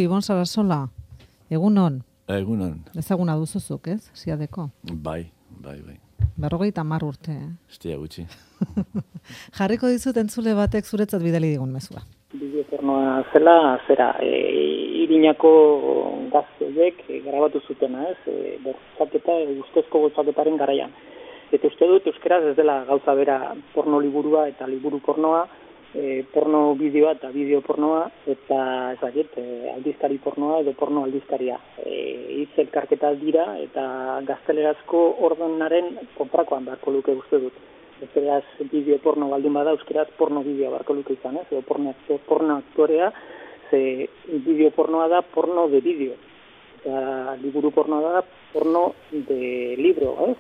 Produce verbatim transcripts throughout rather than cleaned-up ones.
Ibon Sarasola, egunon. Egunon. Ezaguna duzuzuk, ez? Siadeko. Bai, bai, bai. Berrogeita hamar urte, eh? Estia gutxi. Jarriko dizut entzule batek zuretzat bidali digun mezua. Bideo pornoa zela, zera, e, Irinako gazteek e, grabatu zutena, ez? E, bortzaketa, e, ustezko bortzaketaren garaian. Eta uste dut, euskeraz ez dela gauza bera porno liburua eta liburu pornoa, e, porno bideoa eta bideo pornoa, eta ez dakit, e, aldizkari pornoa edo porno aldizkaria. E, hitz elkarketa dira eta gaztelerazko ordenaren kontrakoan beharko luke uste dut. Euskaraz bideo porno baldin bada, euskaraz porno bideo beharko luke izan, ez? Edo porno, porno aktorea, ze bideo pornoa da porno de bideo. Eta liburu pornoa da porno de libro, ez?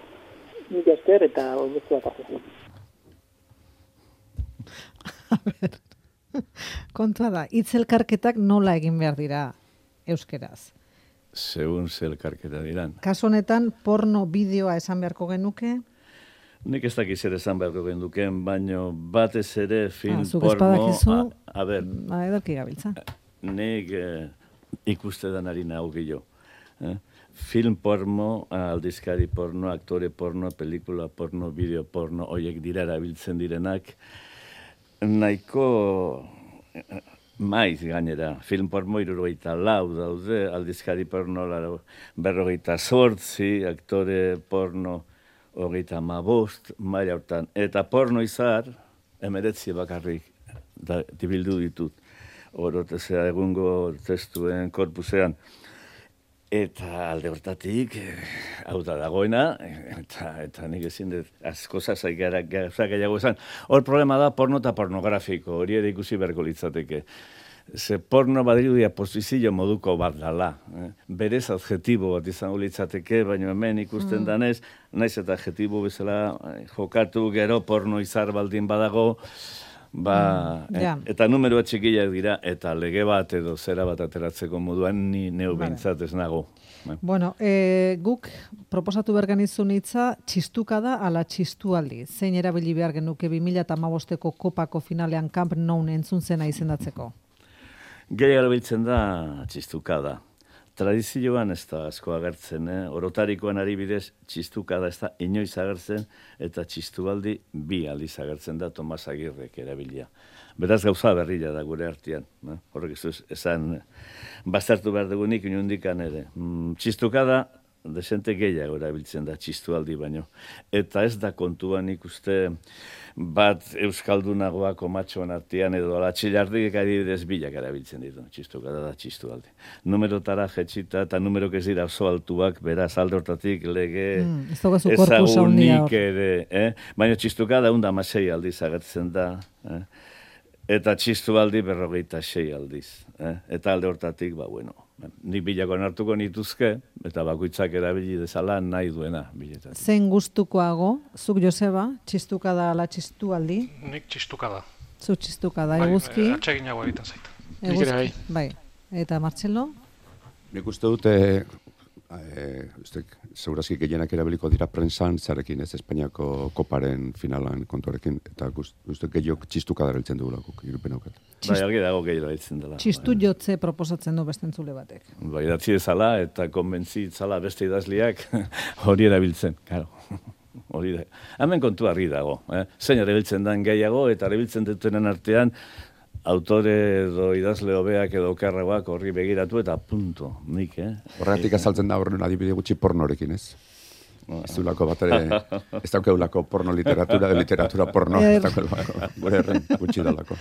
Nik esker eta beste bat hartu. A ber, kontua da, hitzelkarketak nola egin behar dira euskeraz? Segun zelkarketa diran. Kasu honetan, porno bideoa esan beharko genuke? Nik ez dakiz ere esan beharko genduken, baino batez ere film ah, zuk porno... espadakizu, A, a ber, a, edarki gabiltza. nik eh, ikuste danari nahu gehiago. Eh? Film porno, aldizkari porno, aktore porno, pelikula porno, bideo porno, horiek dira erabiltzen direnak, nahiko maiz gainera. Film porno hirurogeita lau daude, aldizkari porno berrogeita zortzi, aktore porno hogeita hamabost, maila hortan. Eta porno izar, emeretzi bakarrik da, dibildu ditut. Orotezea egungo testuen korpusean. Eta alde hortatik, hau da dagoena, eta, eta nik ezin dut asko zazai gara gehiago esan. Hor problema da porno eta pornografiko, hori ere ikusi beharko litzateke. Ze porno badirudia posizio moduko bat dala. Eh? Berez adjetibo bat izango litzateke, baina hemen ikusten mm. danez, naiz eta adjetibo bezala jokatu gero porno izar baldin badago, ba, mm, yeah. et, eta numeroa txikiak dira, eta lege bat edo zera bat ateratzeko moduan ni neu behintzat ez nago. Bueno, e, guk proposatu berganizun hitza txistuka da ala txistualdi. Zein erabili behar genuke bi mila hamabosteko kopako finalean Camp Nou entzun zena izendatzeko? Gehi erabiltzen da txistuka da. Tradizioan ez da asko agertzen, eh? Orotarikoan ari bidez txistuka da ez da inoiz agertzen eta txistualdi bi aldiz agertzen da Tomas Agirrek erabilia. Beraz gauza berria da gure artean. Eh? Horrek ez esan baztertu behar dugunik inundikan ere. Mm, txistuka da desente gehiago erabiltzen da txistualdi baino. Eta ez da kontuan ikuste bat euskaldunagoa komatxoan artean edo alatxilardik adibidez bilak erabiltzen ditu. Txistuka da da txistualdi. Numerotara jetxita eta numerok ez dira oso altuak, beraz alde hortatik lege mm, ezagunik ere. Eh? Baina txistuka da unda masei aldiz agertzen da. Eh? Eta txistualdi berrogeita sei aldiz. Eh? Eta alde hortatik, ba, bueno, nik bilakoan hartuko nituzke, eta bakoitzak erabili dezala nahi duena biletan. Zein gustukoago, zuk Joseba, txistuka da ala txistualdi? Nik txistuka da. Zu txistuka da, eguzki? Bai, atseginago egiten zait. Eguzki, bai. Eta Martxelo? Nik uste dute, e, ustek, segurazki gehienak erabiliko dira prensan zarekin, ez Espainiako koparen finalan kontuarekin, eta uste gehiok txistuka dareltzen dugulako, irupen aukat. Bai, argi dago gehiago dareltzen dela. Txistu jotze proposatzen du bestentzule batek. Bai, idatzi ezala eta konbentzi itzala beste idazliak hori erabiltzen, karo. Hori da. Hemen kontu argi dago. Eh? Zein erabiltzen den gehiago eta erabiltzen dutenen artean autore edo idazle hobeak edo okerragoak horri begiratu eta punto, nik, eh? Horregatik azaltzen da horren adibide gutxi pornorekin, ez? Ez duelako bat ere, ez daukeulako porno literatura, de literatura porno, ez daukeulako, gure herren gutxi dalako.